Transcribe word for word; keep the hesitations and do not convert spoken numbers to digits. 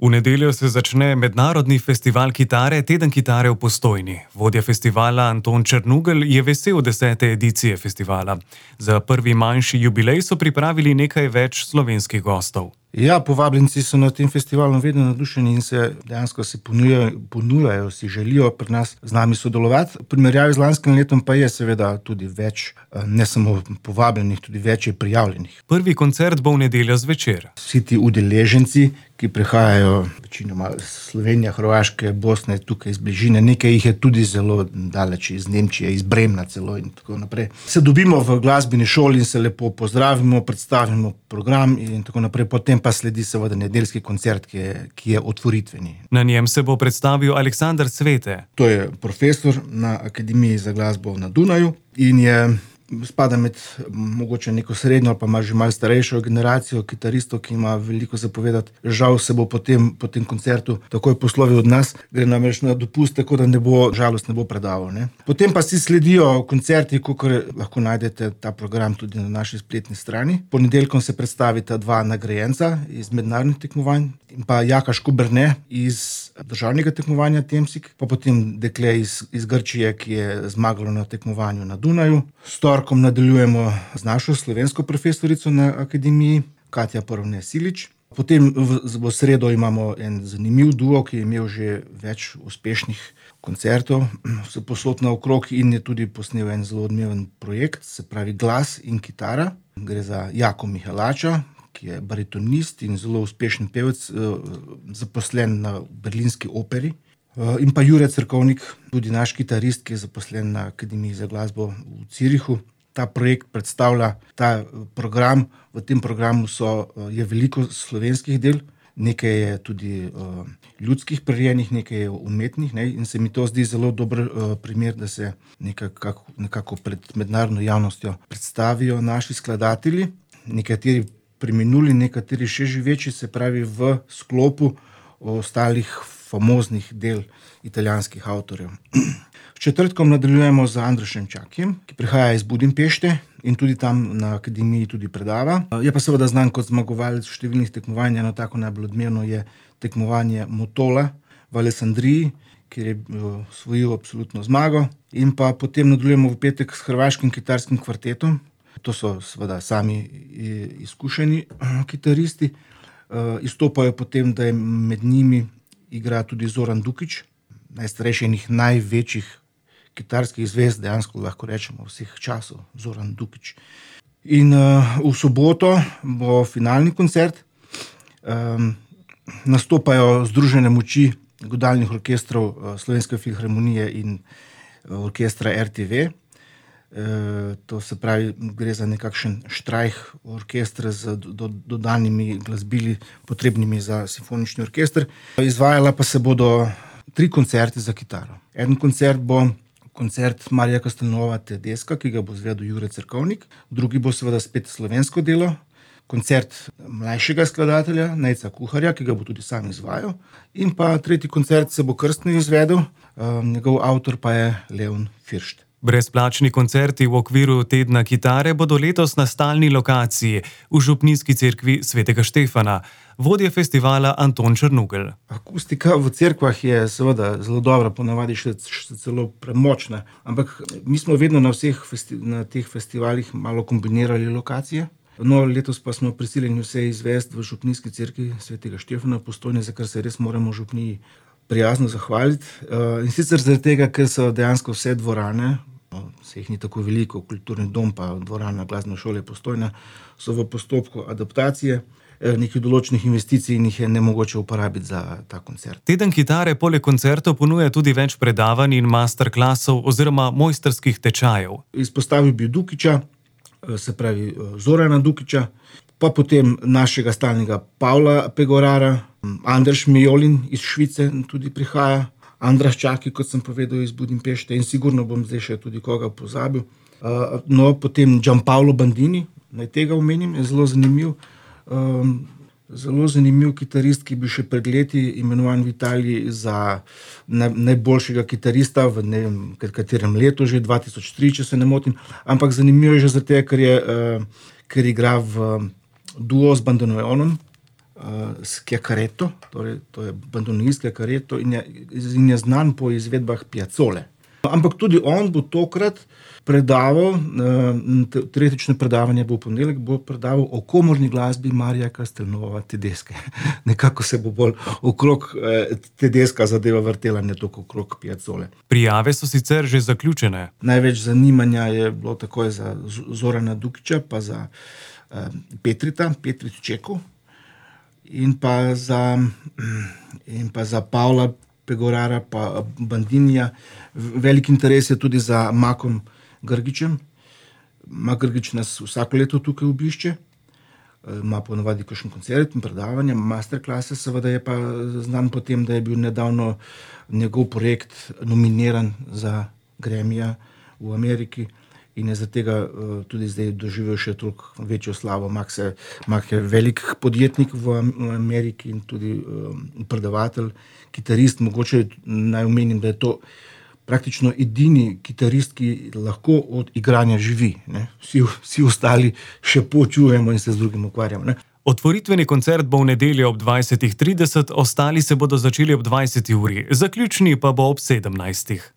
V nedeljo se začne mednarodni festival kitare Teden kitare v Postojni. Vodja festivala Anton Črnugelj je vesel desete edicije festivala. Za prvi manjši jubilej so pripravili nekaj več slovenskih gostov. Ja, povabljenci so na tem festivalu vedno navdušeni in se dejansko se ponujajo, ponujajo, si želijo pri nas z nami sodelovati. V primerjavi z lanskim letom pa je seveda tudi več, ne samo povabljenih, tudi več je prijavljenih. Prvi koncert bo v nedeljo zvečer. Vsi ti udeleženci, ki prihajajo večinoma iz Slovenije, Hrvaške, Bosne, tukaj iz bližine, nekaj jih je tudi zelo daleč, iz Nemčije, iz Bremna celo in tako naprej. Se dobimo v glasbeni šoli in se lepo pozdravimo, predstavimo program in tako naprej. Potem pa sledi seveda nedeljski koncert, ki je, ki je otvoritveni. Na njem se bo predstavil Aleksander Svete. To je profesor na Akademiji za glasbo na Dunaju in je spada med mogoče neko srednjo ali pa ima že malo starejšo generacijo kitaristov, ki ima veliko zapovedati. Žal se bo potem po tem koncertu takoj poslovil od nas, gre namreč na dopust, tako da ne bo, žalost ne bo predaval. Ne? Potem pa si sledijo koncerti, kakor lahko najdete ta program tudi na naši spletni strani. Ponedeljkom se predstavita dva nagrajenca iz mednarodnih tekmovanj in pa Jaka Škoberne iz državnega tekmovanja Temsik, pa potem dekle iz, iz Grčije, ki je zmagalo na tekmovanju na Dunaju. S torkom nadaljujemo z našo slovensko profesorico na Akademiji, Katja Porovne Silič. Potem v, v sredo imamo en zanimiv duo, ki je imel že več uspešnih koncertov, vse posod naokrog in je tudi posnel en zelo odmeven projekt, se pravi Glas in kitara. Gre za Jako Mihalača, ki je baritonist in zelo uspešen pevec, zaposlen na berlinski operi. In pa Jure Cerkovnik, tudi naš kitarist, ki je zaposlen na Akademiji za glasbo v Zürichu. Ta projekt predstavlja ta program. V tem programu so, je veliko slovenskih del, nekaj je tudi uh, ljudskih prirejenih, nekaj je umetnih, ne? In se mi to zdi zelo dober uh, primer, da se nekako, nekako pred mednarodno javnostjo predstavijo naši skladatelji, nekateri preminuli, nekateri še živeči, se pravi v sklopu ostalih famoznih del italijanskih avtorjev. V četrtkom nadaljujemo z Androšem Čakijem, ki prihaja iz Budimpešte in tudi tam na Akademiji tudi predava. Je pa seveda znan kot zmagovalec številnih tekmovanj. Eno tako najbolj odmevno je tekmovanje Motola v Alessandriji, kjer je osvojil absolutno zmago. In pa potem nadaljujemo v petek s hrvaškim kitarskim kvartetom. To so seveda sami izkušeni kitaristi. Izstopajo potem, da je med njimi igra tudi Zoran Dukić, najstarejši in največjih kitarskih zvezd, dejansko lahko rečemo vseh časov, Zoran Dukić. In uh, v soboto bo finalni koncert. Um, nastopajo združene moči godalnih orkestrov uh, Slovenske filharmonije in uh, orkestra R T V. Uh, to se pravi, gre za nekakšen štrajh orkestra z do, dodanimi glasbili, potrebnimi za simfonični orkester. Izvajala pa se bodo tri koncerte za kitaro. En koncert bo koncert Marija Castelnuova Tedeska, ki ga bo izvedel Jure Cerkovnik. Drugi bo seveda spet slovensko delo. Koncert mlajšega skladatelja, Nejca Kuharja, ki ga bo tudi sam izvajal. In pa tretji koncert se bo krstno izvedel, um, njegov avtor pa je Leon Firšt. Brezplačni koncerti v okviru Tedna kitare bodo letos na stalni lokaciji v Župnijski cerkvi svetega Štefana. Vodja festivala Anton Črnugelj. Akustika v cerkvah je seveda zelo dobra, ponavadi še, še celo premočna, ampak mi smo vedno na vseh festi, na teh festivalih malo kombinirali lokacije. No, letos pa smo prisiljeni vse izvesti v Župnijski cerkvi svetega Štefana v Postojni, za kar se res moramo v Župniji prijazno zahvaliti. In sicer zaradi tega, ker so dejansko vse dvorane, se jih ni tako veliko, kulturni dom pa dvorana glasbene šole Postojna, so v postopku adaptacije, nekih določenih investicij in jih je nemogoče uporabiti za ta koncert. Teden kitare poleg koncertov ponuja tudi več predavanj in masterklasov oziroma mojstrskih tečajev. Izpostavil bi Dukića, se pravi Zorana Dukića, pa potem našega stalnega Pavla Pegorara, Anders Mijolin iz Švice tudi prihaja, Andraš Čaki, kot sem povedal, iz Budimpešte in sigurno bom zdaj še tudi koga pozabil. No, potem Gianpaolo Bandini, naj tega omenim, je zelo zanimiv. Um, zelo zanimiv kitarist, ki bi še pred leti imenovan v Italiji za naj, najboljšega kitarista v ne vem katerem letu, že dva tisoč tri, če se ne motim. Ampak zanimivo je že zato, ker je, uh, ker igra v duo z bandoneonom. s Chiacaretto, torej to je bandoneonist Chiacaretto in je, in je znan po izvedbah Piazzole. Ampak tudi on bo tokrat predaval, teoretično predavanje bo v ponedeljek, bo predaval o komorni glasbi Marija Castelnuova Tedesche. Nekako se bo bolj okrog Tedesca zadeva vrtela, ne toliko okrog Piazzole. Prijave so sicer že zaključene. Največ zanimanja je bilo takoj za Zorana Dukića, pa za Petrita, Petrit Čeku in pa za, in pa za Pavla Pegorara pa Bandinija. Velik interes je tudi za Makom Grgićem. Mak Grgić nas vsako leto tukaj obišče, ima ponavadi kakšen koncert in predavanja, masterklase, seveda je pa znan po tem, da je bil nedavno njegov projekt nominiran za Grammyja v Ameriki in je zaradi tega tudi zdaj doživel še toliko večjo slavo. Mak, se, Mak je velik podjetnik v Ameriki in tudi predavatelj, kitarist. Mogoče naj omenim, da je to praktično edini kitarist, ki lahko od igranja živi. Ne? Vsi, vsi ostali še počujemo in se z drugim ukvarjamo. Ne? Otvoritveni koncert bo v nedeljo ob dvajsetih trideset, ostali se bodo začeli ob dvajseti uri, zaključni pa bo ob sedemnajstih.